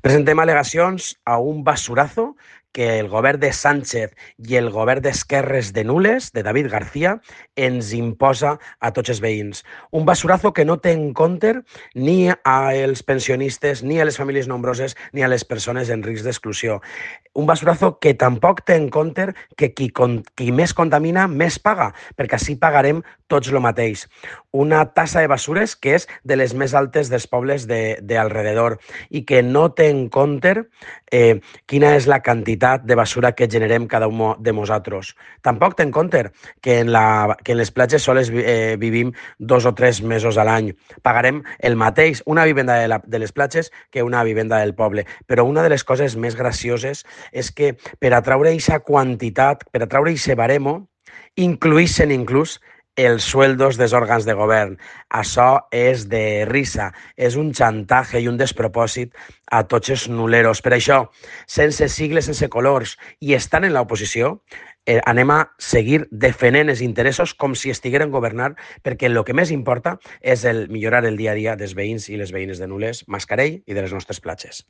Presentem al·legacions a un basurazo que el govern de Sánchez i el govern d'Esquerres de Nules, de David García, ens imposa a tots els veïns. Un basurazo que no té en compte ni als pensionistes, ni a les famílies nombroses, ni a les persones en risc d'exclusió. Un basurazo que tampoc té en compte que qui més contamina, més paga, perquè així pagarem tots el mateix. Una tassa de basures que és de les més altes dels pobles d'alrededor i que no té en compte quina és la quantitat de basura que generem cada un de nosaltres. Tampoc té en compte que que en les platges sols vivim 2 o 3 mesos a l'any. Pagarem el mateix una vivenda de les platges que una vivenda del poble. Però una de les coses més gracioses és que per atraure aquesta quantitat, per atraure aquest baremo, incluïssin inclús els sueldos dels òrgans de govern. Això és de risa, és un xantatge i un despropòsit a tots els nuleros. Per això, sense sigles, sense colors, i estant en l'oposició, anem a seguir defendent els interessos com si estigueren governant, perquè el que més importa és el millorar el dia a dia dels veïns i les veïnes de Nules, Mascarell i de les nostres platges.